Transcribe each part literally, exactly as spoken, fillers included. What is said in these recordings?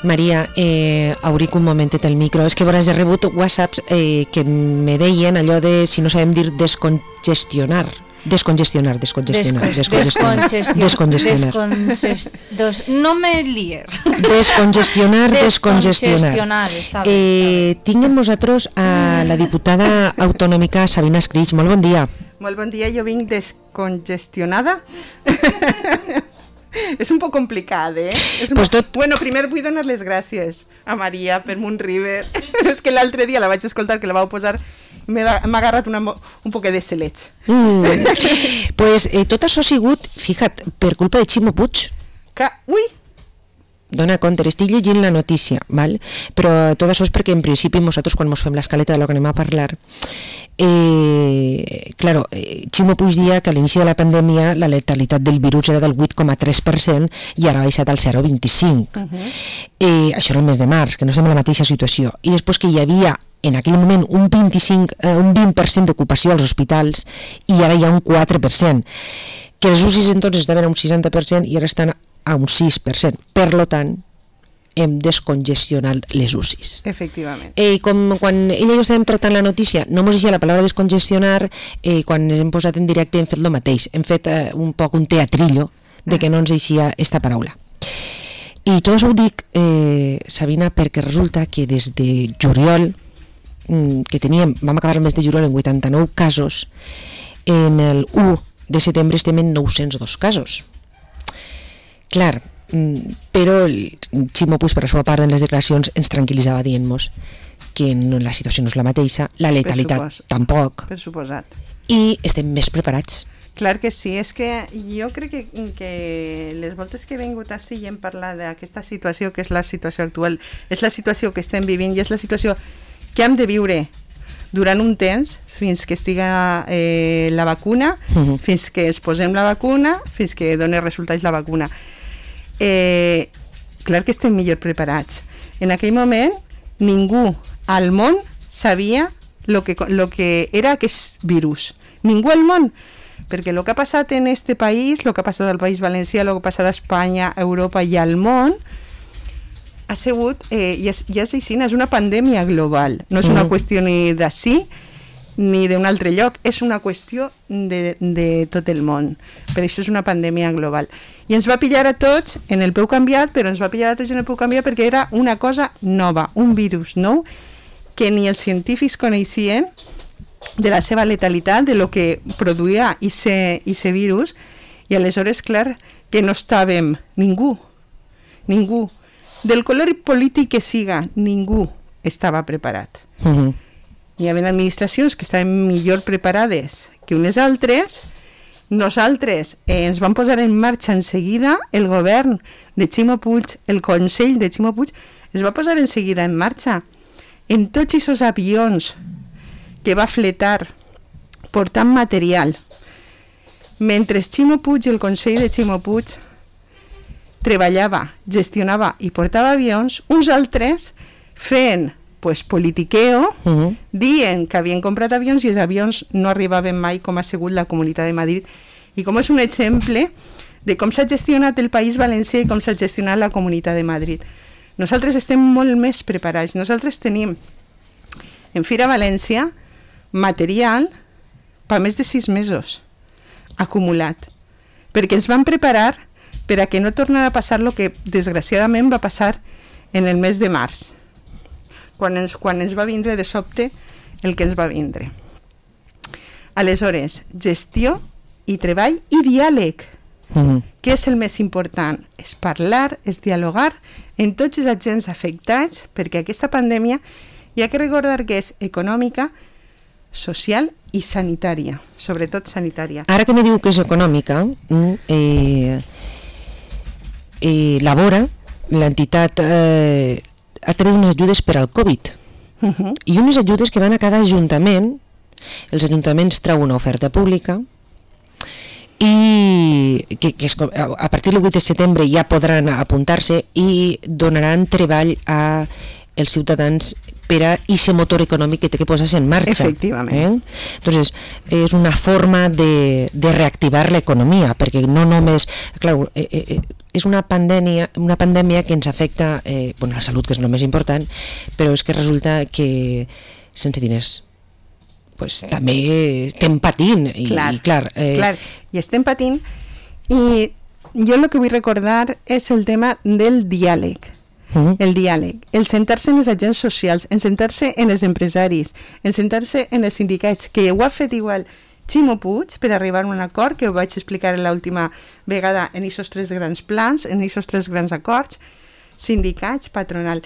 Maria, eh, auric un momentet el micro. És que veuràs, he rebut whatsapps eh, que me deien allò de, si no sabem dir, descongestionar. Descongestionar, descongestionar. Descongestionar. Descongestionar. Descongestionar. No me lies. Descongestionar, descongestionar. Està bé, eh, tinc amb nosaltres a la diputada autonòmica Sabina Escrig. Molt bon dia. Molt bon dia, jo vinc descongestionada. És un poc complicat, eh? És pues po... tot... Bueno, primer vull donar les gràcies a Maria per Moonriver. És que l'altre dia la vaig escoltar, que la vau posar, m'ha agarrat una, un poquet de celeig. Mm. Pues eh, tot això ha sigut, fija't, per culpa de Ximo Puig. Que... Ui! Dona compte, estic llegint la notícia, val? Però tot això és perquè en principi nosaltres quan ens fem l'escaleta de lo que anem a parlar, eh, claro, eh, Ximo Puig dia que a l'inici de la pandèmia la letalitat del virus era del vuit coma tres per cent i ara ha baixat al zero coma vint-i-cinc. Uh-huh. eh, això era el mes de març, que no estem en la mateixa situació. I després que hi havia en aquell moment un vint-i-cinc, eh, un vint per cent d'ocupació als hospitals i ara hi ha un quatre per cent. Que els U C I entonces estaven a un seixanta per cent i ara estan a un sis per cent. Per lo tant, hem descongestionat les U C Is. Efectivament. Eh, com quan ella i jo estàvem tratant la notícia, no mos deixia la paraula descongestionar, eh, quan ens hem posat en directe hem fet el mateix. Hem fet eh, un poc un teatrillo de que no ens deixia esta paraula. I tot això ho dic, eh, Sabina, perquè resulta que des de juliol, mm, que teníem, vam acabar el mes de juliol en vuitanta-nou casos, en el u de setembre estem en nou-cents dos casos. Clar, però el Ximo Puig, per la seva part, en les declaracions ens tranquil·litzava dient-nos que no, la situació no és la mateixa, la letalitat per supos... tampoc, per suposat. I estem més preparats. Clar que sí, és que jo crec que, que les voltes que he vingut així i hem parlat d'aquesta situació, que és la situació actual, és la situació que estem vivint i és la situació que hem de viure durant un temps, fins que estiga eh, la vacuna, uh-huh. fins que es posem la vacuna, fins que doni resultats la vacuna. Eh, clar que estem millor preparats. En aquell moment ningú al món sabia lo que, lo que era aquest virus. Ningú al món. Perquè el que ha passat en este país, el que ha passat al País Valencià, el que ha passat a Espanya, a Europa i al món, ha sigut, eh, ja, ja és així, és una pandèmia global. No és una mm. qüestió ni d'ací, ni d'un altre lloc, és una qüestió de, de tot el món. Per això és una pandèmia global. I ens va pillar a tots en el peu canviat, però ens va pillar a tots en el peu canviat perquè era una cosa nova, un virus nou, que ni els científics coneixien de la seva letalitat, de lo que produïa aquest virus, i aleshores, clar, que no estàvem, ningú, ningú, del color polític que siga, ningú estava preparat. Uh-huh. Hi havia administracions que estaven millor preparades que unes altres. Nosaltres eh, ens vam posar en marxa en seguida, el govern de Ximo Puig, el Consell de Ximo Puig, es va posar en seguida en marxa en tots aquests avions que va fletar portant material. Mentre Ximo Puig i el Consell de Ximo Puig treballava, gestionava i portava avions, uns altres feien pues, politiqueo, uh-huh. dient que havien comprat avions i els avions no arribaven mai, com ha sigut la Comunitat de Madrid. I com és un exemple de com s'ha gestionat el País Valencià i com s'ha gestionat la Comunitat de Madrid. Nosaltres estem molt més preparats. Nosaltres tenim en Fira València material per més de sis mesos acumulat, perquè ens vam preparar per a que no tornara a passar el que desgraciadament va passar en el mes de març, quan ens, quan ens va vindre de sobte el que ens va vindre. Aleshores, gestió i treball i diàleg. Uh-huh. Què és el més important? És parlar, és dialogar en tots els agents afectats, perquè aquesta pandèmia hi ha que recordar que és econòmica, social i sanitària, sobretot sanitària. Ara que me diu que és econòmica, eh, eh, Labora, l'entitat, eh, ha tret unes ajudes per al Covid. Uh-huh. I unes ajudes que van a cada ajuntament. Els ajuntaments treuen una oferta pública i que, que és, a partir del vuit de setembre ja podran apuntar-se i donaran treball a els ciutadans per a aquest motor econòmic que té que posar-se en marxa. Efectivament. Eh? Entonces, és una forma de, de reactivar l'economia, perquè no només... Clar, eh, eh, és una pandèmia, una pandèmia que ens afecta eh, bueno, la salut, que és el més important, però és que resulta que sense diners pues, també estem patint. I, clar, i, clar, eh, clar, i estem patint. I jo el que vull recordar és el tema del diàleg. Uh-huh. El diàleg, el sentar-se en els agents socials, en sentar-se en els empresaris, en sentar-se en els sindicats, que ho ha fet igual Ximo Puig per arribar a un acord, que ho vaig explicar l'última vegada en aquests tres grans plans, en aquests tres grans acords, sindicats, patronal,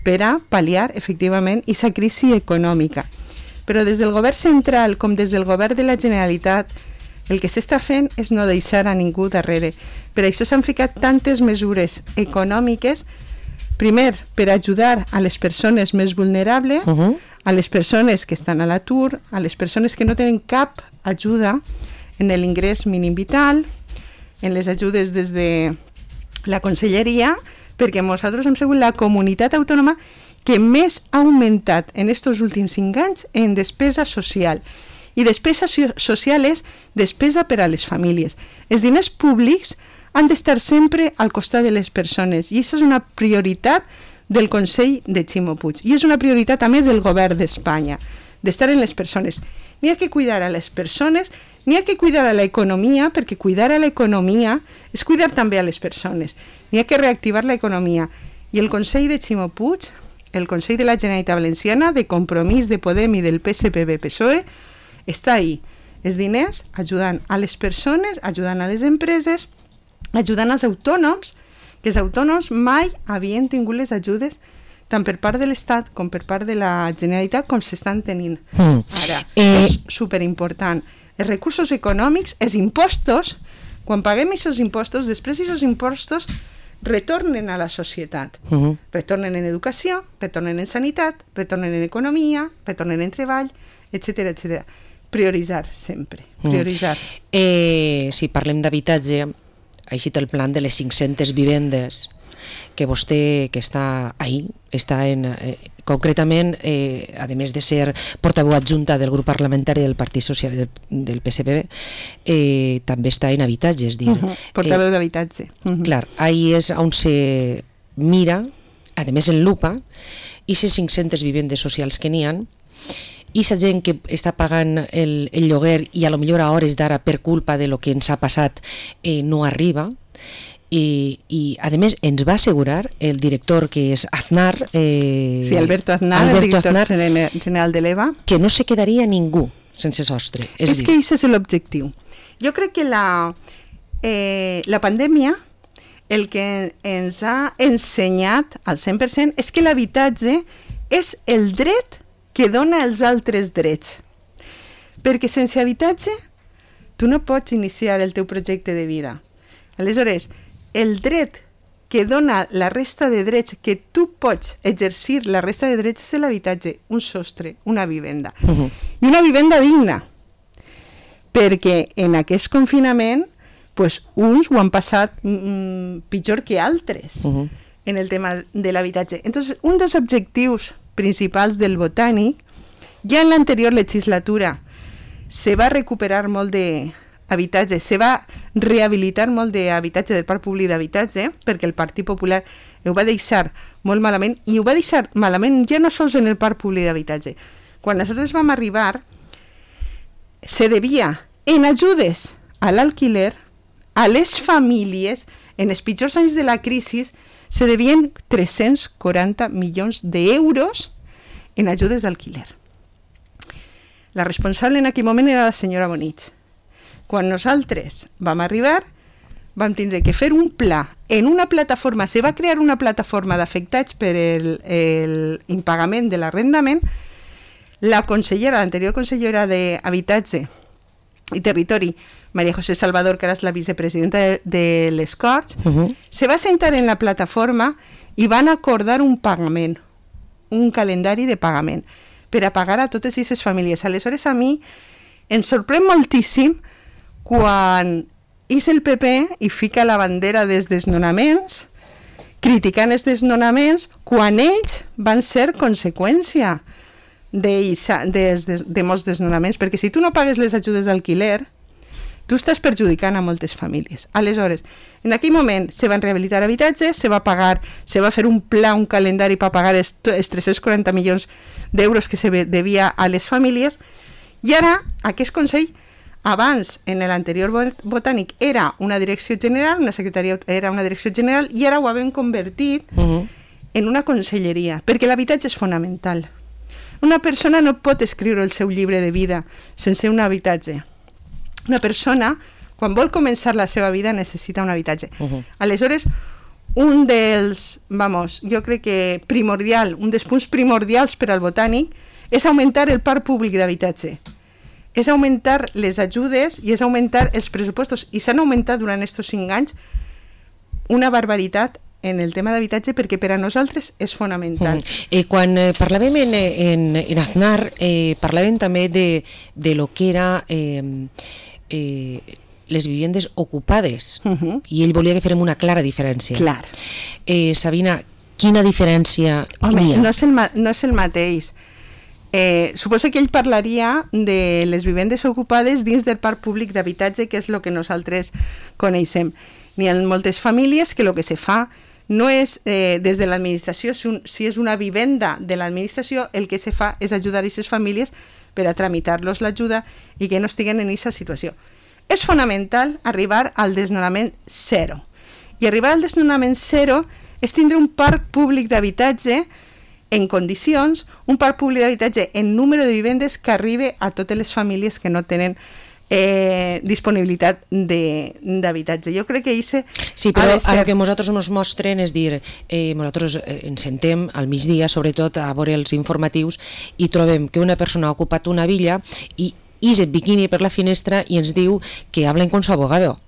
per a pal·liar efectivament aquesta crisi econòmica. Però des del govern central com des del govern de la Generalitat el que s'està fent és no deixar a ningú darrere. Per això s'han ficat tantes mesures econòmiques, primer, per ajudar a les persones més vulnerables, uh-huh. a les persones que estan a l'atur, a les persones que no tenen cap ajuda en l'ingrés mínim vital, en les ajudes des de la conselleria, perquè nosaltres hem sigut la comunitat autònoma que més ha augmentat en aquests últims cinc anys en despesa social. I despesa social és despesa per a les famílies. Els diners públics han d'estar sempre al costat de les persones i això és una prioritat del Consell de Ximo Puig i és una prioritat també del govern d'Espanya, d'estar en les persones. N'hi ha que cuidar a les persones, n'hi ha que cuidar a l'economia, perquè cuidar a l'economia és cuidar també a les persones. N'hi ha que reactivar l'economia. I el Consell de Ximo Puig, el Consell de la Generalitat Valenciana, de Compromís, de Podem i del P S P B P S O E, està ahí, els diners ajudant a les persones, ajudant a les empreses, ajudant als autònoms, que els autònoms mai havien tingut les ajudes tant per part de l'Estat com per part de la Generalitat com s'estan tenint mm. ara. Eh... És superimportant. Els recursos econòmics, els impostos, quan paguem aquests impostos, després aquests impostos retornen a la societat. Mm-hmm. Retornen en educació, retornen en sanitat, retornen en economia, retornen en treball, etcètera, etcètera. Prioritzar, sempre. Prioritzar. Mm. Eh, si parlem d'habitatge, així té el plan de les cinc-centes vivendes que vostè, que està ahí, està en, eh, concretament, eh, a més de ser portaveu adjunta del grup parlamentari del Partit Social del, del P S P B, eh, també està en habitatge, és dir... Uh-huh. Portaveu eh, d'habitatge. Uh-huh. Clar, ahí és on se mira, a més en lupa, i les cinc-centes vivendes socials que n'hi ha, i la gent que està pagant el, el lloguer i a lo millor a hores d'ara per culpa de lo que ens ha passat eh, no arriba, i, i a més ens va assegurar el director que és Aznar, eh, sí, Alberto Aznar, Alberto el director Aznar, general de l'E V A, que no se quedaria ningú sense sostre. És, és dir... que aquest és l'objectiu. Jo crec que la, eh, la pandèmia el que ens ha ensenyat al cent per cent és que l'habitatge és el dret que dona els altres drets. Perquè sense habitatge tu no pots iniciar el teu projecte de vida. Aleshores, el dret que dona la resta de drets, que tu pots exercir la resta de drets, és l'habitatge, un sostre, una vivenda. Uh-huh. I una vivenda digna. Perquè en aquest confinament pues, uns ho han passat mm, pitjor que altres uh-huh. en el tema de l'habitatge. Entonces, un dels objectius principals del Botànic, ja en l'anterior legislatura se va recuperar molt d'habitatge, se va rehabilitar molt d'habitatge del parc públic d'habitatge, perquè el Partit Popular ho va deixar molt malament, i ho va deixar malament ja no sols en el parc públic d'habitatge. Quan nosaltres vam arribar, se devia en ajudes a l'alquiler, a les famílies, en els pitjors anys de la crisi, se devien tres-cents quaranta milions d'euros en ajudes d'alquiler. La responsable en aquell moment era la senyora Bonich. Quan nosaltres vam arribar, vam tindre que fer un pla en una plataforma, se va crear una plataforma d'afectats per el, el impagament de l'arrendament. La consellera, l'anterior consellera d'Habitatge i Territori, María José Salvador, que ara és la vicepresidenta de, de les Corts, uh-huh. se va sentar en la plataforma i van acordar un pagament, un calendari de pagament, per a pagar a totes aquestes famílies. Aleshores, a mi em sorprèn moltíssim quan és el P P i fica la bandera dels desnonaments criticant els desnonaments quan ells van ser conseqüència de, de, de, de molts desnonaments, perquè si tu no pagues les ajudes d'alquiler, tu estàs perjudicant a moltes famílies. Aleshores, en aquell moment se van rehabilitar habitatges, se va pagar, se va fer un pla, un calendari per pagar els, els tres-cents quaranta milions d'euros que se devia a les famílies, i ara aquest Consell, abans, en l'anterior botànic, era una direcció general, una secretaria era una direcció general, i ara ho hem convertit uh-huh. en una conselleria, perquè l'habitatge és fonamental. Una persona no pot escriure el seu llibre de vida sense un habitatge. Una persona, quan vol començar la seva vida, necessita un habitatge. Uh-huh. Aleshores, un dels, vamos, jo crec que primordial, un dels punts primordials per al botànic és augmentar el parc públic d'habitatge. És augmentar les ajudes i és augmentar els pressupostos. I s'han augmentat durant aquests cinc anys una barbaritat en el tema d'habitatge perquè per a nosaltres és fonamental. Mm. Eh, quan eh, parlàvem en, en, en Aznar, eh, parlàvem també de, de lo que era eh, eh, les vivendes ocupades, uh-huh. i ell volia que fèrem una clara diferència. Clar. Eh, Sabina, quina diferència Home, hi ha? No és el, no és el mateix. Eh, suposo que ell parlaria de les vivendes ocupades dins del parc públic d'habitatge, que és el que nosaltres coneixem. N'hi ha moltes famílies que el que se fa no és eh, des de l'administració, si, un, si és una vivenda de l'administració, el que se fa és ajudar a aquestes famílies per a tramitar-los l'ajuda i que no estiguen en aquesta situació. És fonamental arribar al desnonament zero. I arribar al desnonament zero és tindre un parc públic d'habitatge en condicions, un parc públic d'habitatge en número de vivendes que arribi a totes les famílies que no tenen eh, disponibilitat d'habitatge. Jo crec que això sí, però el que nosaltres ens mostren és dir, eh, nosaltres eh, ens sentem al migdia, sobretot a veure els informatius, i trobem que una persona ha ocupat una villa i ix el biquini per la finestra i ens diu que hablen con su abogado.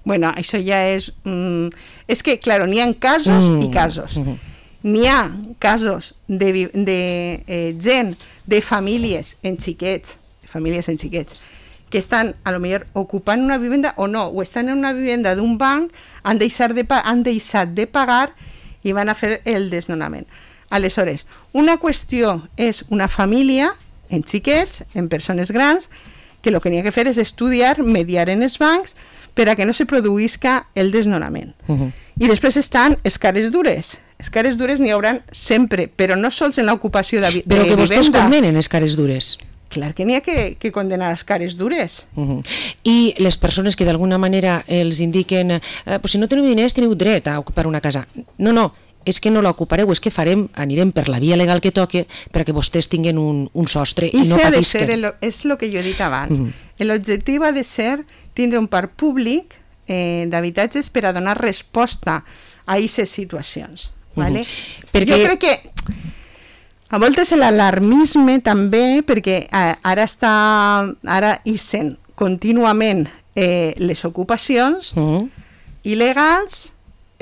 Bueno, això ja és... Mm, és que, claro, n'hi ha casos mm. i casos. Mm-hmm. N'hi ha casos de, de eh, gent, de famílies en xiquets, famílies en xiquets, que estan, a lo millor, ocupant una vivenda o no, o estan en una vivenda d'un banc, han deixat de, han deixat de pagar i van a fer el desnonament. Aleshores, una qüestió és una família en xiquets, en persones grans, que el que n'hi ha que fer és estudiar, mediar en els bancs, per a que no se produïsca el desnonament. Uh-huh. I després estan els cares dures. Els cares dures n'hi hauran sempre, però no sols en l'ocupació de, de vivenda. Però que vostès condenen els cares dures. Clar que n'hi ha que, que condenar els cares dures. Uh-huh. I les persones que d'alguna manera els indiquen eh, pues si no teniu diners teniu dret a ocupar una casa. No, no, és que no l'ocupareu, és que farem, anirem per la via legal que toque perquè vostès tinguin un, un sostre i, i no patisquen. El, és el que jo he dit abans. Uh-huh. L'objectiu ha de ser tindre un parc públic eh, d'habitatges per a donar resposta a aquestes situacions. Vale? Uh-huh. Perquè... Jo crec que a voltes l'alarmisme també, perquè eh, ara està ara ixen contínuament eh, les ocupacions uh-huh. il·legals,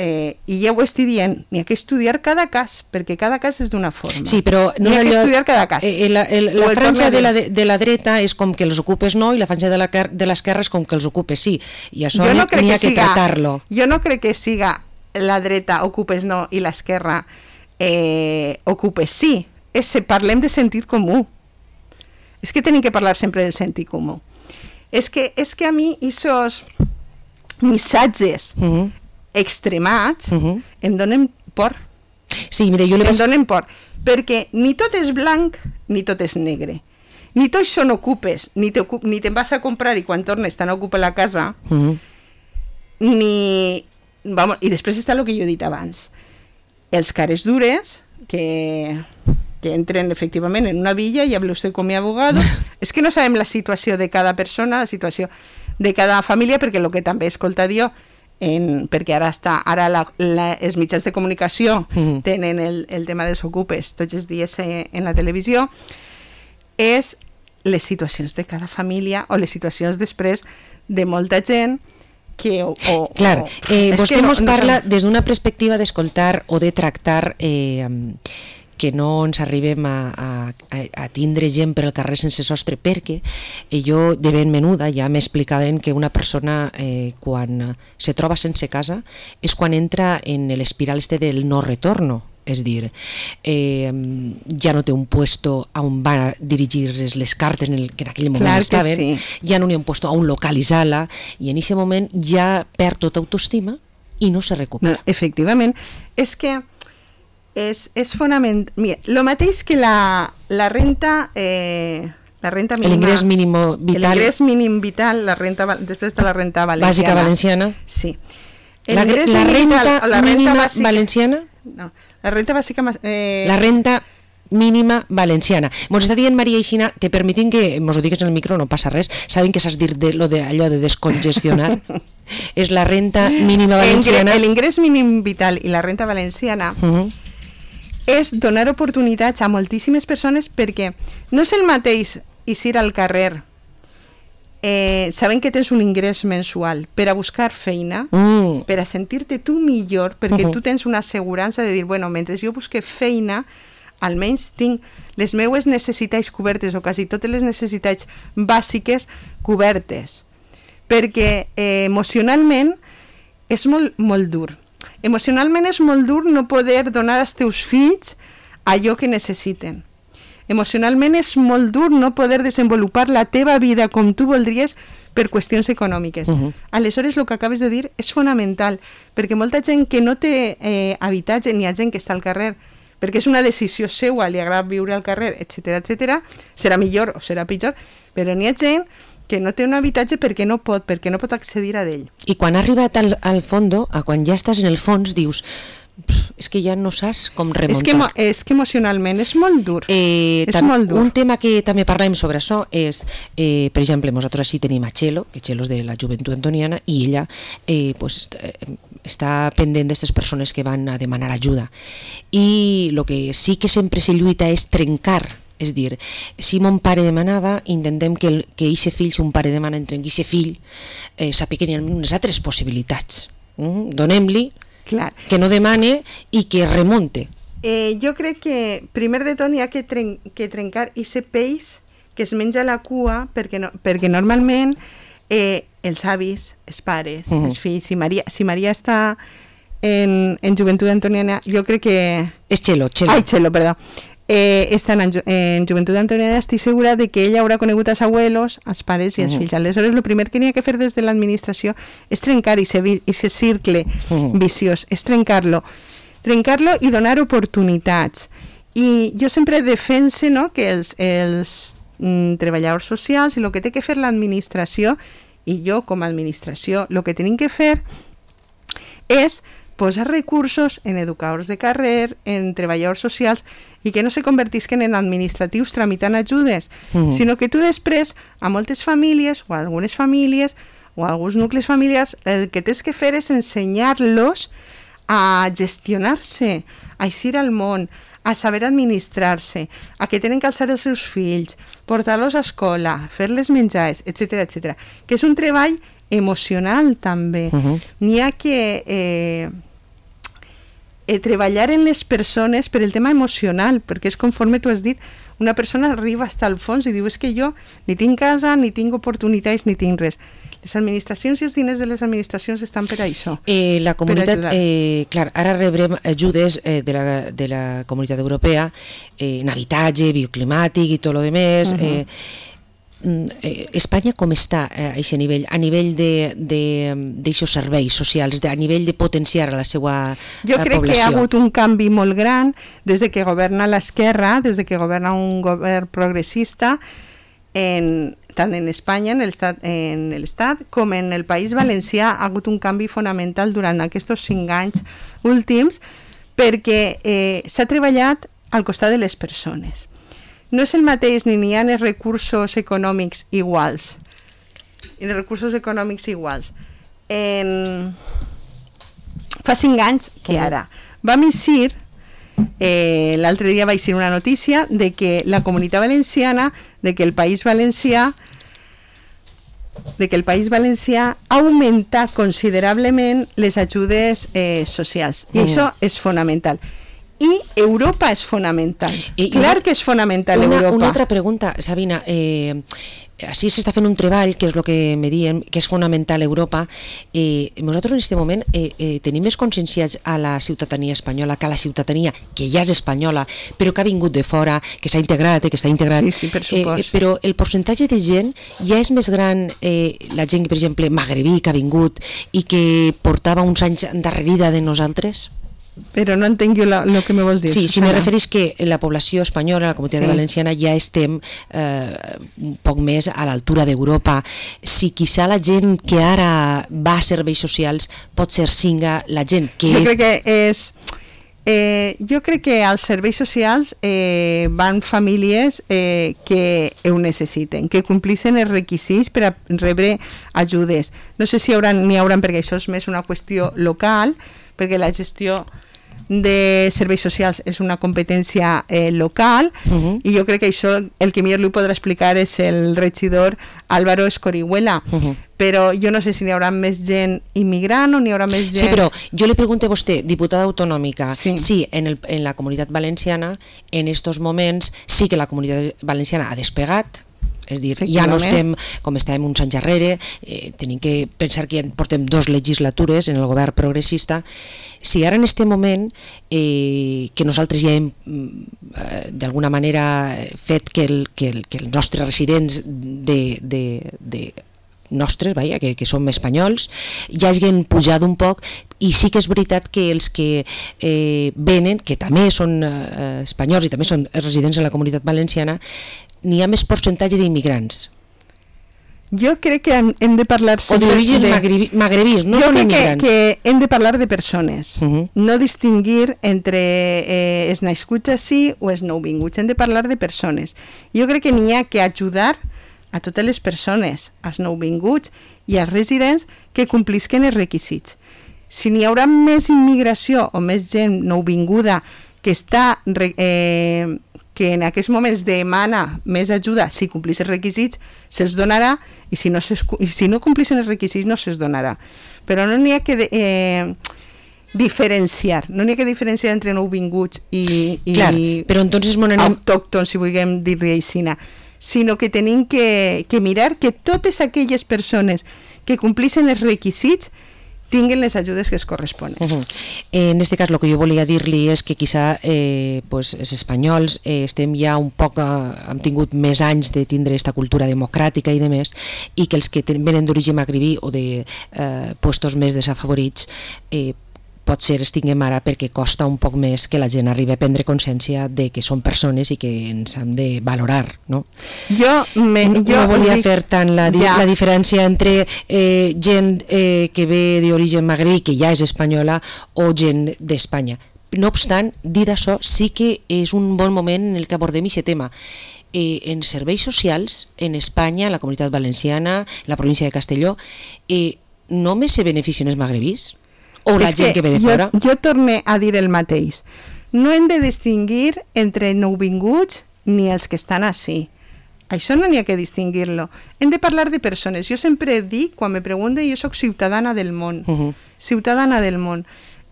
eh, i ja ho estic dient, n'hi ha que estudiar cada cas, perquè cada cas és d'una forma. Sí, però no n'hi ha allò, que estudiar cada cas. Eh, la el, la franja de la, de, de la dreta és com que els ocupes no, i la franja de la de l'esquerra és com que els ocupes sí, i això n'hi no ha que, que tratar-lo. Jo no crec que siga la dreta ocupes no i l'esquerra eh, ocupes sí. És, parlem de sentit comú. És que tenim que parlar sempre del sentit comú. És que, és que a mi aquests missatges uh-huh. extremats uh-huh. em donen por. Sí, mira, jo li em vas... donen por. Perquè ni tot és blanc ni tot és negre. Ni tots són ocupes, ni te'n ni te vas a comprar i quan tornes t'han ocupat la casa, uh-huh. ni... Vamos, i després està el que jo he dit abans. Els cares dures que... que entren efectivament en una villa i habla usted con mi abogado. És que no sabem la situació de cada persona, la situació de cada família, perquè el que també he escoltat jo, en, perquè ara està ara la, la, els mitjans de comunicació mm-hmm. tenen el, el tema dels ocupes tots els dies en la televisió, és les situacions de cada família o les situacions després de molta gent que... O, o, Clar, eh, o, vostè no, ens no parla no... des d'una perspectiva d'escoltar o de tractar... Eh, que no ens arribem a, a, a tindre gent per al carrer sense sostre, perquè jo de ben menuda ja m'explicaven que una persona eh, quan se troba sense casa és quan entra en l'espiral este del no retorno. És dir, eh, ja no té un puesto on va dirigir les cartes en el, que en aquell moment Clar estaven, sí. ja no n'hi ha un puesto on localitzar-la, i en aquest moment ja perd tota autoestima i no se recupera. No, efectivament, és que és, és fonamental. Mira, lo mateix que la, la renta... Eh, la renta mínima, l'ingrés mínim vital, l'ingrés mínim vital, la renta, després de la renta valenciana. Bàsica valenciana. Sí. La, la renta vital, la mínima renta bàsica, valenciana? No, la renta bàsica... Eh... La renta mínima valenciana. Mos està dient Maria Ixina, te permitin que mos ho digues en el micro, no passa res, saben que saps dir de, lo de, allò de descongestionar? És la renta mínima valenciana. L'ingrés mínim vital i la renta valenciana uh -huh. és donar oportunitats a moltíssimes persones, perquè no és el mateix eixir al carrer eh, sabent que tens un ingrés mensual per a buscar feina, mm. per a sentir-te tu millor, perquè uh -huh. tu tens una assegurança de dir, bueno, mentre jo busque feina, almenys tinc les meues necessitats cobertes, o quasi totes les necessitats bàsiques cobertes, perquè eh, emocionalment és molt, molt dur. Emocionalment és molt dur no poder donar als teus fills allò que necessiten. Emocionalment és molt dur no poder desenvolupar la teva vida com tu voldries per qüestions econòmiques. Uh -huh. Aleshores, el que acabes de dir és fonamental, perquè molta gent que no té eh, habitatge, ni ha gent que està al carrer, perquè és una decisió seua, li agrada viure al carrer, etcètera, etcètera, serà millor o serà pitjor, però n'hi ha gent que no té un habitatge perquè no pot, perquè no pot accedir a ell. I quan ha arribat al, al fondo, a quan ja estàs en el fons, dius, és que ja no saps com remuntar. És que, és que emocionalment és molt dur. Eh, és molt dur. Un tema que també parlem sobre això és, eh, per exemple, nosaltres així tenim a Txelo, que Txelo és de la Joventut Antoniana, i ella eh, pues, eh, està pendent d'aquestes persones que van a demanar ajuda. I el que sí que sempre se lluita és trencar. És dir, si mon pare demanava, intentem que el, que eixe fill, si un pare demana entre eixe fill, eh, sàpiga que n'hi ha unes altres possibilitats. Mm? Donem-li Clar. que no demane i que remunte. Eh, jo crec que primer de tot hi ha que, tren que trencar aquest peix que es menja la cua, perquè, no, perquè normalment eh, els avis, els pares, uh -huh. els fills, si Maria, si Maria està en, en Joventut Antoniana, jo crec que... És Txelo, Txelo. Ai, Txelo, perdó. Eh, estan en, en Joventut Antoniana, estic segura de que ella haurà conegut els abuelos, els pares i els uh -huh. fills. Aleshores, el primer que n'hi ha que fer des de l'administració és trencar aquest circle uh -huh. viciós, és trencar-lo. Trencar-lo i donar oportunitats. I jo sempre defense, no, que els, els mm, treballadors socials i el que té que fer l'administració, i jo com a administració, el que tenim que fer és posar recursos en educadors de carrer, en treballadors socials, i que no se convertisquen en administratius tramitant ajudes, mm. sinó que tu després, a moltes famílies, o a algunes famílies, o a alguns nuclis familiars, el que tens que fer és ensenyar-los a gestionar-se, a eixir al món, a saber administrar-se, a que tenen que alçar els seus fills, portar-los a escola, fer-les menjars, etcètera, etcètera. Que és un treball emocional també. Uh-huh. N'hi ha que eh, eh, treballar en les persones per el tema emocional, perquè és conforme tu has dit, una persona arriba fins al fons i diu, és que jo ni tinc casa, ni tinc oportunitats, ni tinc res. Les administracions i els diners de les administracions estan per a això. Eh, la comunitat, eh, clar, ara rebrem ajudes eh, de, la, de la comunitat europea eh, en habitatge, bioclimàtic i tot el demés. Uh-huh. eh, eh, Espanya com està eh, a aquest nivell? A nivell d'aixòs serveis socials, de, a nivell de potenciar la seva jo la crec població? Que hi ha hagut un canvi molt gran des de que governa l'esquerra, des de que governa un govern progressista, en, tant en Espanya, en l'estat en l'estat com en el País Valencià. Ha hagut un canvi fonamental durant aquests cinc anys últims, perquè eh, s'ha treballat al costat de les persones. No és el mateix, ni n'hi ha els recursos econòmics iguals, ni recursos econòmics iguals. En... Fa cinc anys que ara. Vam eixir, eh, l'altre dia va eixir una notícia de que la Comunitat Valenciana, de que el País Valencià, de que el País Valencià ha augmentat considerablement les ajudes eh, socials. I mm. això és fonamental. i Europa és fonamental. I, Clar una, que és fonamental una, Europa. Una altra pregunta, Sabina. Eh, així s'està fent un treball, que és el que me diem, que és fonamental a Europa. Eh, nosaltres en aquest moment eh, eh, tenim més conscienciats a la ciutadania espanyola que a la ciutadania que ja és espanyola, però que ha vingut de fora, que s'ha integrat, eh, que està integrat. Sí, sí, per supost. Eh, però el percentatge de gent ja és més gran, eh, la gent, per exemple, magrebí, que ha vingut i que portava uns anys endarrerida de nosaltres? Però no entenc jo el que me vols dir. Sí, si me referís que la població espanyola, la comunitat sí. valenciana, ja estem eh, un poc més a l'altura d'Europa. Si quizà la gent que ara va a serveis socials pot ser singa la gent que jo és... Crec que és... Eh, jo crec que als serveis socials eh, van famílies eh, que ho necessiten, que complixen els requisits per a rebre ajudes. No sé si hi haurà, n'hi haurà, perquè això és més una qüestió local, perquè la gestió de serveis socials és una competència eh, local, uh-huh. i jo crec que això el que millor li podrà explicar és el regidor Álvaro Escorihuela, uh-huh. però jo no sé si n'hi haurà més gent immigrant o n'hi haurà més gent... Sí, però jo li pregunto a vostè, diputada autonòmica, sí, sí en, el, en la comunitat valenciana en estos moments sí que la comunitat valenciana ha despegat, és dir, ja no estem com estàvem uns anys enrere, eh, tenim que pensar que ja portem dos legislatures en el govern progressista. Si ara en aquest moment eh, que nosaltres ja hem eh, d'alguna manera fet que, el, que, el, que els nostres residents de, de, de nostres, vaja, que, que som espanyols, ja hagin pujat un poc, i sí que és veritat que els que eh, venen, que també són eh, espanyols i també són residents de la comunitat valenciana, n'hi ha més percentatge d'immigrants. Jo crec que hem, hem de parlar... O d'origen de... magrebís, no jo són immigrants. Jo crec que, que hem de parlar de persones, uh-huh. no distingir entre eh, els nascuts així o els nouvinguts, hem de parlar de persones. Jo crec que n'hi ha que ajudar a totes les persones, als nouvinguts i als residents que complisquen els requisits. Si n'hi haurà més immigració o més gent nouvinguda que està... Eh, que en aquests moments demana més ajuda, si complís els requisits, se'ls donarà, i si no, i si no complixen els requisits no se'ls donarà. Però no n'hi ha que eh, diferenciar, no n'hi ha que diferenciar entre nouvinguts i, i Clar, però entonces anem... autòctons, si vulguem dir-li així, sinó que tenim que, que mirar que totes aquelles persones que complixen els requisits tinguen les ajudes que es corresponen. Uh-huh. En aquest cas, el que jo volia dir-li és que quizà eh, pues, els espanyols eh, estem ja un poc, eh, hem tingut més anys de tindre aquesta cultura democràtica i de més, i que els que ten, venen d'origen magrebí o de eh, puestos més desafavorits eh, pot ser es tinguem ara perquè costa un poc més que la gent arribi a prendre consciència de que són persones i que ens hem de valorar, no? Jo, me, no, jo no volia dic, fer tant la, ja. la diferència entre eh, gent eh, que ve d'origen magrebí, que ja és espanyola, o gent d'Espanya. No obstant, dit això, sí que és un bon moment en el que abordem aquest tema. Eh, en serveis socials, en Espanya, en la comunitat valenciana, en la província de Castelló, eh, només se beneficien els magrebís? O la gent que, que ve de jo, fora? Jo torne a dir el mateix. No hem de distingir entre nouvinguts ni els que estan així. Això no n'hi ha que distingir-lo. Hem de parlar de persones. Jo sempre dic, quan me pregunten, jo sóc ciutadana del món. Uh-huh. Ciutadana del món.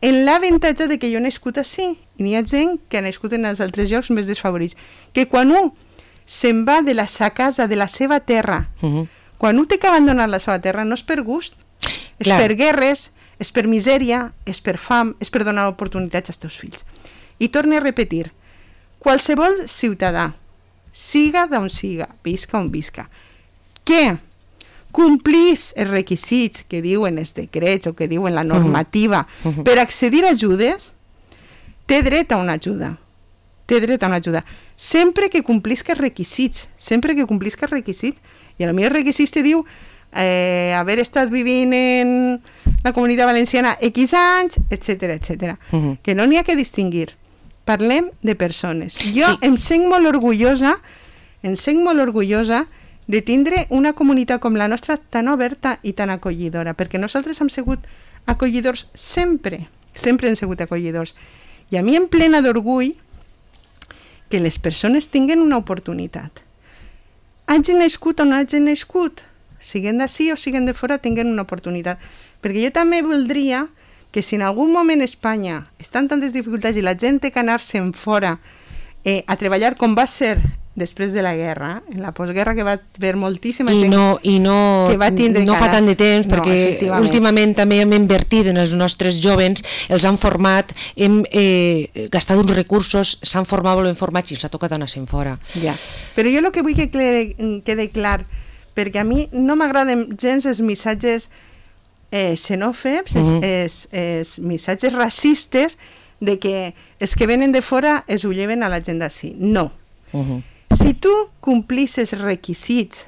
En l'avantatge de que jo he nascut així, i n'hi ha gent que ha nascut en els altres llocs més desfavorits, que quan un se'n va de la sa casa, de la seva terra, uh-huh. quan un té que abandonar la seva terra, no és per gust, és Clar. per guerres, és per misèria, és per fam, és per donar oportunitats als teus fills. I torno a repetir, qualsevol ciutadà, siga d'on siga, visca on visca, que complís els requisits que diuen els decrets o que diuen la normativa uh -huh. per accedir a ajudes, té dret a una ajuda. Té dret a una ajuda. Sempre que complisca els requisits, sempre que complisca els requisits, i a lo millor els requisits te diu Eh, haver estat vivint en la comunitat valenciana X anys, etcètera, etcètera. Uh-huh. Que no n'hi ha que distingir. Parlem de persones. Jo sí. em sent molt orgullosa, em sent molt orgullosa de tindre una comunitat com la nostra tan oberta i tan acollidora, perquè nosaltres hem sigut acollidors sempre, sempre hem sigut acollidors. I a mi em plena d'orgull que les persones tinguen una oportunitat. Hagin nascut o no hagin nascut, siguen d'ací o siguen de fora, tinguen una oportunitat. Perquè jo també voldria que si en algun moment Espanya està en tantes dificultats i la gent té que anar-se'n fora eh, a treballar com va ser després de la guerra, en la postguerra, que va haver moltíssima I gent no, i no, que va tindre no que fa anar. tant de temps, No, perquè efectivament. últimament també hem invertit en els nostres jovens, els han format, hem eh, gastat uns recursos, s'han format, volem formats i els ha tocat anar-se'n fora. Ja. Però jo el que vull que quede, quede clar, perquè a mi no m'agraden gens els missatges eh, xenòfobs, uh -huh. els, els missatges racistes de que els que venen de fora es ho lleven a la gent d'ací. No. Uh -huh. Si tu complisses requisits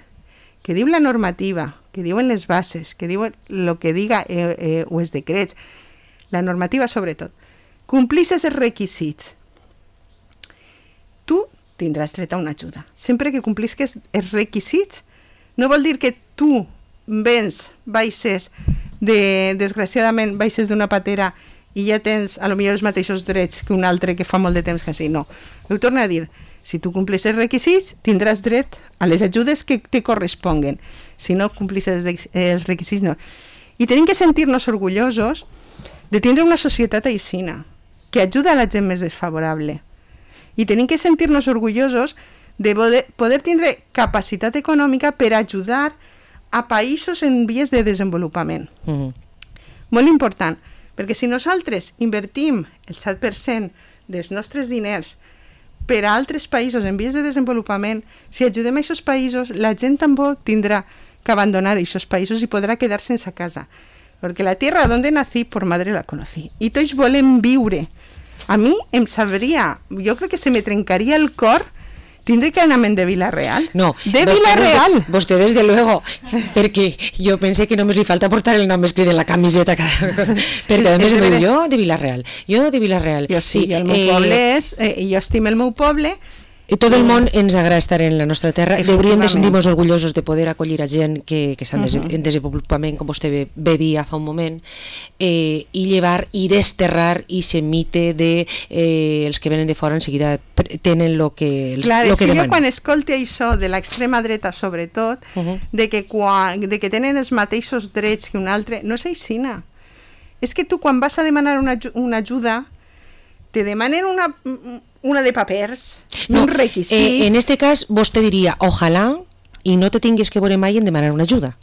que diu la normativa, que diuen les bases, que diuen el que diga eh, eh, o els decrets, la normativa sobretot, complisses els requisits, tu tindràs dret a una ajuda. Sempre que complisques els requisits, no vol dir que tu vens, baixes, de, desgraciadament, baixes d'una patera i ja tens a lo millor els mateixos drets que un altre que fa molt de temps que sí. No. Ho torno a dir, si tu complis els requisits, tindràs dret a les ajudes que te corresponguen. Si no complis els, els requisits, no. I tenim que sentir-nos orgullosos de tindre una societat aixina, que ajuda a la gent més desfavorable. I tenim que sentir-nos orgullosos de poder, poder tindre capacitat econòmica per ajudar a països en vies de desenvolupament. Uh-huh. Molt important, perquè si nosaltres invertim el set per cent dels nostres diners per a altres països en vies de desenvolupament, si ajudem a aquests països, la gent tampoc tindrà que abandonar aquests països i podrà quedar sense casa. Perquè la tierra donde nací, por madre la conocí. I tots volem viure. A mi em sabria, jo crec que se me trencaria el cor tindré que anar-me'n de Vila-real. No, de vostè Vila-real. Desde, vostè desde luego, perquè jo pensé que només li falta portar el nom escrit en la camiseta cada... perquè a més em diu, jo de Vila-real, jo de Vila-real. Jo sí, sí el meu eh, poble és, eh, jo estimo el meu poble. I tot el món ens agrada estar en la nostra terra. Hauríem de sentir-nos orgullosos de poder acollir a gent que, que estan uh -huh. en desenvolupament, com vostè bé, bé dia fa un moment, eh, i llevar i desterrar i se mite de eh, els que venen de fora en seguida tenen el que, els, Clar, lo és que que demanen. jo quan escolti això de l'extrema dreta sobretot, uh -huh. de, que quan, de que tenen els mateixos drets que un altre, no és aixina. És que tu quan vas a demanar una, una ajuda te demanen una... una de papers, no, un requisit. Eh, en este cas, vostè diria, ojalà i no te tinguis que veure mai en demanar una ajuda.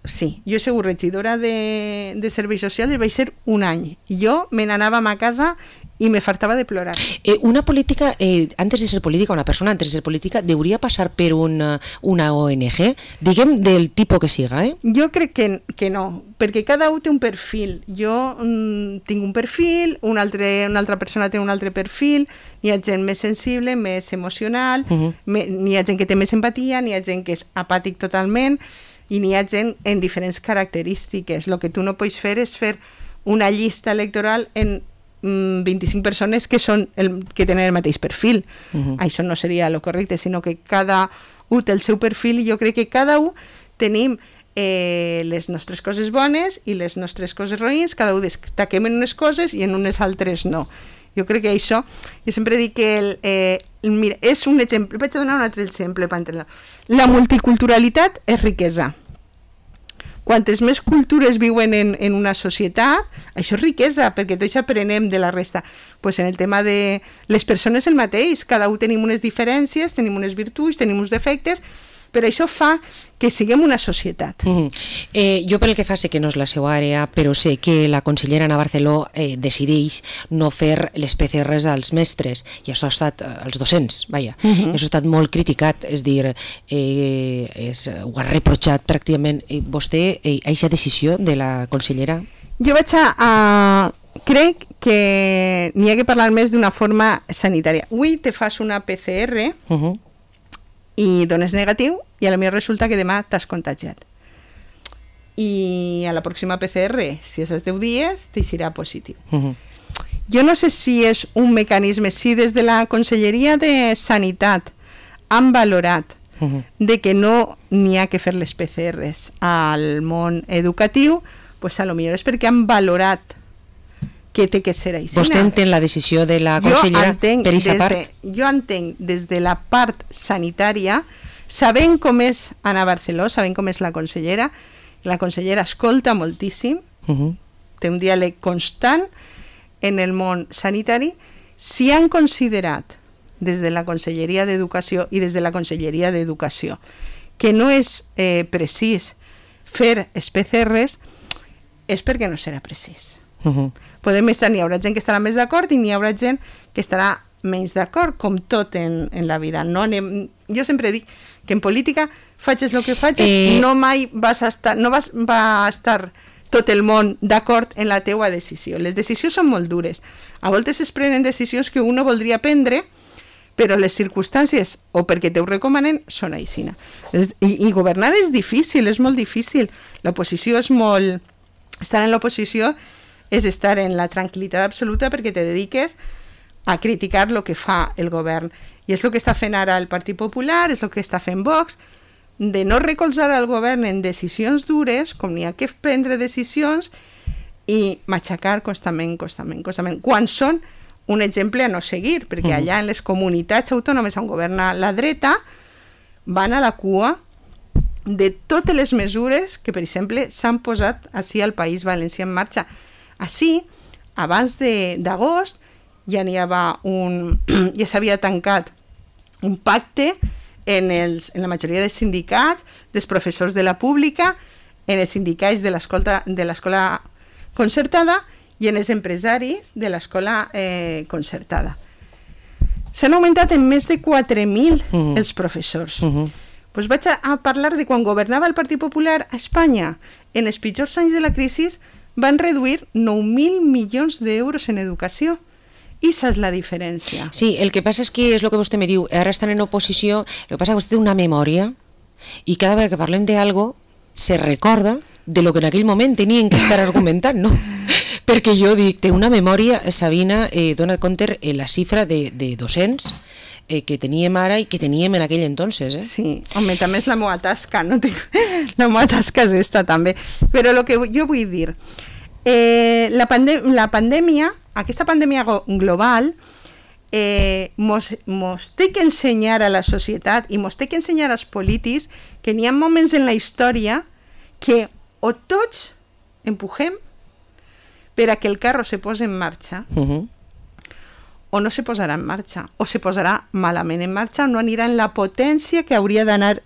Sí, jo he sigut regidora de, de serveis socials i vaig ser un any. Jo me n'anàvem a casa i me fartava de plorar. Eh, una política, eh, antes de ser política, una persona antes de ser política, deuria passar per una, una O N G, diguem del tipus que siga, eh? Jo crec que, que no, perquè cada un té un perfil. Jo mm, tinc un perfil, un altre, una altra persona té un altre perfil, n'hi ha gent més sensible, més emocional, uh -huh. me, n'hi ha gent que té més empatia, n'hi ha gent que és apàtic totalment, i n'hi ha gent en diferents característiques. El que tu no pots fer és fer una llista electoral en vint-i-cinc persones que són el, que tenen el mateix perfil. Uh-huh. Això no seria el correcte, sinó que cada un té el seu perfil i jo crec que cada un tenim eh, les nostres coses bones i les nostres coses roïns, cada un destaquem en unes coses i en unes altres no. Jo crec que això, jo sempre dic que el, eh, el, mira, és un exemple, vaig a donar un altre exemple per entendre. La multiculturalitat és riquesa. Quantes més cultures viuen en, en una societat, això és riquesa, perquè tots aprenem de la resta. Pues en el tema de les persones el mateix, cada un tenim unes diferències, tenim unes virtuts, tenim uns defectes, però això fa que siguem una societat. Mm-hmm. eh, jo pel que fa sé que no és la seva àrea, però sé que la consellera Ana Barceló eh, decideix no fer les P C Rs als mestres, i això ha estat als docents, vaja, mm-hmm. això ha estat molt criticat, és dir, eh, és, ho ha reprotxat pràcticament. Eh, vostè, eh, aquesta decisió de la consellera? Jo vaig a... a... crec que n'hi ha que parlar més d'una forma sanitària. Avui te fas una P C R uh-huh. i dones negatiu i a la millor resulta que demà t'has contagiat. I a la pròxima P C R, si és als deu dies, t'eixirà positiu. Uh-huh. Jo no sé si és un mecanisme, si des de la Conselleria de Sanitat han valorat uh-huh. de que no n'hi ha que fer les P C Rs al món educatiu, pues a lo millor és perquè han valorat que té que ser així. Vostè entén la decisió de la consellera per aquesta part? De, jo entenc des de la part sanitària, sabent com és Ana Barceló, sabent com és la consellera, la consellera escolta moltíssim, uh-huh. té un diàleg constant en el món sanitari. Si han considerat des de la Conselleria d'Educació i des de la Conselleria d'Educació que no és eh, precís fer els P C Rs, és perquè no serà precís. Uh-huh. Podem estar, n'hi haurà gent que estarà més d'acord i n'hi haurà gent que estarà menys d'acord, com tot en, en la vida. No anem, jo sempre dic que en política facis el que facis, eh... no mai vas a estar, no vas, va a estar tot el món d'acord en la teua decisió. Les decisions són molt dures. A voltes es prenen decisions que un no voldria prendre, però les circumstàncies, o perquè te ho recomanen, són aixina. I, i governar és difícil, és molt difícil. L'oposició és molt... Estar en l'oposició és estar en la tranquil·litat absoluta perquè te dediques a criticar el que fa el govern. I és el que està fent ara el Partit Popular, és el que està fent Vox, de no recolzar el govern en decisions dures, com n'hi ha que prendre decisions, i matxacar constantment, constantment, constantment, quan són un exemple a no seguir, perquè allà en les comunitats autònomes on governa la dreta van a la cua de totes les mesures que, per exemple, s'han posat així al País Valencià en marxa. Així, abans d'agost, ja n'hi havia un... ja s'havia tancat un pacte en, els, en la majoria dels sindicats, dels professors de la pública, en els sindicats de l'escola concertada i en els empresaris de l'escola eh, concertada. S'han augmentat en més de quatre mil uh-huh. els professors. Uh-huh. Pues vaig a, a parlar de quan governava el Partit Popular a Espanya. En els pitjors anys de la crisi van reduir nou mil milions d'euros en educació. I esa és la diferència. Sí, el que passa és que és el que vostè me diu, ara estan en oposició, el que passa és que vostè té una memòria i cada vegada que parlem d'algo se recorda de lo que en aquell moment tenien que estar argumentant, no? Perquè jo dic, té una memòria, Sabina, eh, dona compte eh, la xifra de, de docents eh, que teníem ara i que teníem en aquell entonces. Eh? Sí, home, també és la meva tasca, no? La meva tasca és esta també. Però el que jo vull dir, eh, la, pandem la pandèmia, aquesta pandèmia global, eh, mos, mos té que ensenyar a la societat i mos té que ensenyar als polítics que n'hi ha moments en la història que o tots empujem per a que el carro se posi en marxa, uh-huh. o no se posarà en marxa, o se posarà malament en marxa, no anirà en la potència que hauria d'anar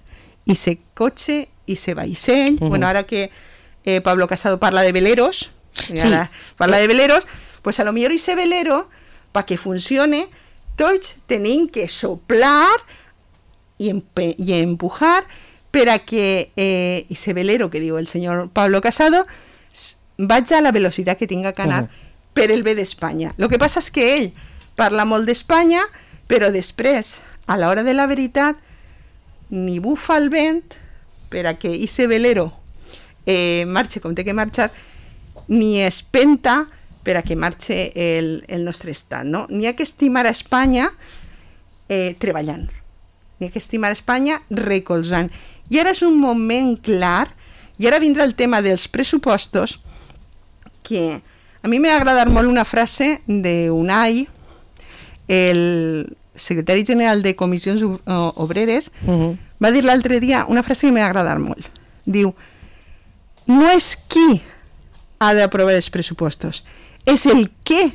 i se cotxe i se vaixell. Uh-huh. Bueno, ara que eh, Pablo Casado parla de veleros, sí. Ara parla de veleros, pues a lo millor ese velero, para que funcione, tots tenim que soplar i, i empujar per a que eh, ese velero que diu el senyor Pablo Casado vaig a la velocitat que tinga que anar uh-huh. per el bé d'Espanya. El que passa és que ell parla molt d'Espanya, però després, a l'hora de la veritat, ni bufa el vent per a que ese velero eh, marxe com té que marxar, ni espenta per a que marxe el, el nostre estat. No? N'hi ha que estimar a Espanya eh, treballant. N'hi ha que estimar a Espanya recolzant. I ara és un moment clar, i ara vindrà el tema dels pressupostos, que a mi m'ha agradat molt una frase d'Unai, el secretari general de Comissions Obreres, uh-huh. va dir l'altre dia una frase que m'ha agradat molt. Diu, no és qui ha d'aprovar els pressupostos, és el què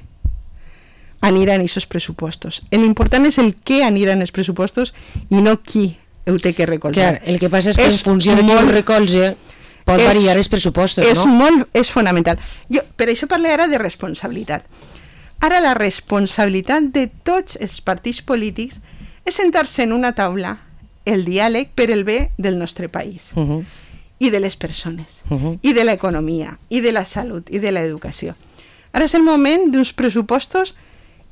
aniran aquests pressupostos. L'important és el què aniran els pressupostos i no qui ho té que recolzar. Clar, el que passa és que és en funció de qui ho recolza pot és, variar els pressupostos, és no? Molt, és fonamental. Jo, per això parlo ara de responsabilitat. Ara la responsabilitat de tots els partits polítics és sentar-se en una taula el diàleg per el bé del nostre país uh-huh. i de les persones uh-huh. i de l'economia i de la salut i de l'educació. Ara és el moment d'uns pressupostos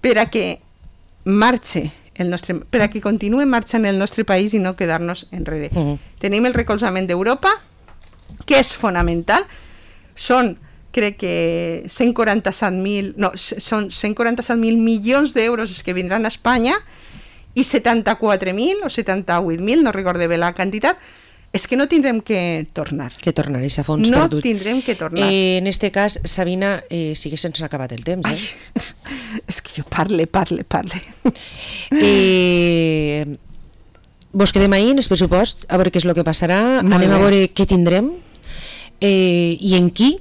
per a que marxe el nostre, per a que continuï marxant el nostre país i no quedar-nos enrere. Uh-huh. Tenim el recolzament d'Europa, que és fonamental. Són, crec que cent quaranta-set mil, no, són cent quaranta-set mil milions d'euros que vindran a Espanya i setanta-quatre mil o setanta-vuit mil, no recordo bé la quantitat, és que no tindrem que tornar. Que tornar, és a fons no perdut. No tindrem que tornar. Eh, en este cas, Sabina, eh, sí que se'ns ha acabat el temps, eh? Ai, és que jo parle, parle, parle. Eh, vos quedem ahir en el pressupost, a veure què és el que passarà, Molt anem bé. a veure què tindrem eh, i en qui,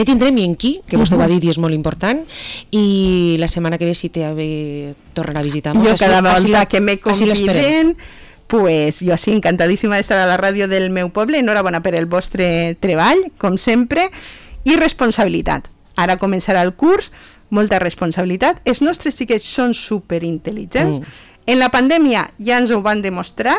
què tindrem i en qui, que vostè Uh-huh. va dir i és molt important, i la setmana que ve si té a bé tornar a visitar-nos. Jo cada Així- així volta la- que me així l'esperem. conviden, pues jo sí, encantadíssima d'estar a la ràdio del meu poble. Enhorabona per el vostre treball, com sempre, i responsabilitat. Ara començarà el curs, molta responsabilitat. Els nostres xiquets són superintel·ligents. Mm. En la pandèmia ja ens ho van demostrar,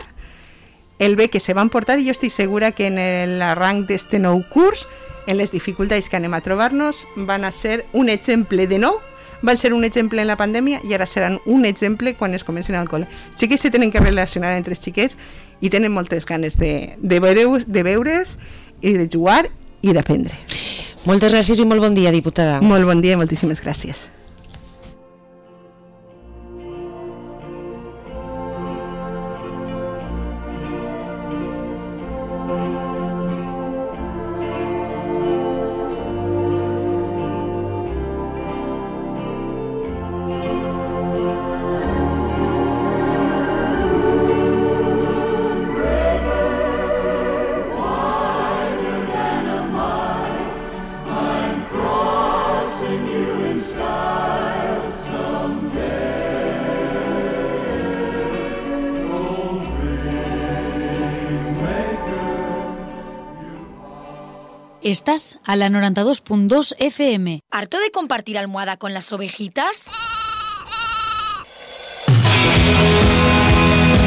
el bé que se van portar, i jo estic segura que en l'arranc d'este nou curs, en les dificultats que anem a trobar-nos, van a ser un exemple de nou. Van ser un exemple en la pandèmia i ara seran un exemple quan es comencin al col·le. Els xiquets se tenen que relacionar entre els xiquets i tenen moltes ganes de, de, veure, de veure's i de jugar i d'aprendre. Moltes gràcies i molt bon dia, diputada. Molt bon dia i moltíssimes gràcies. Estás a la noventa y dos punto dos F M. ¿Harto de compartir almohada con las ovejitas?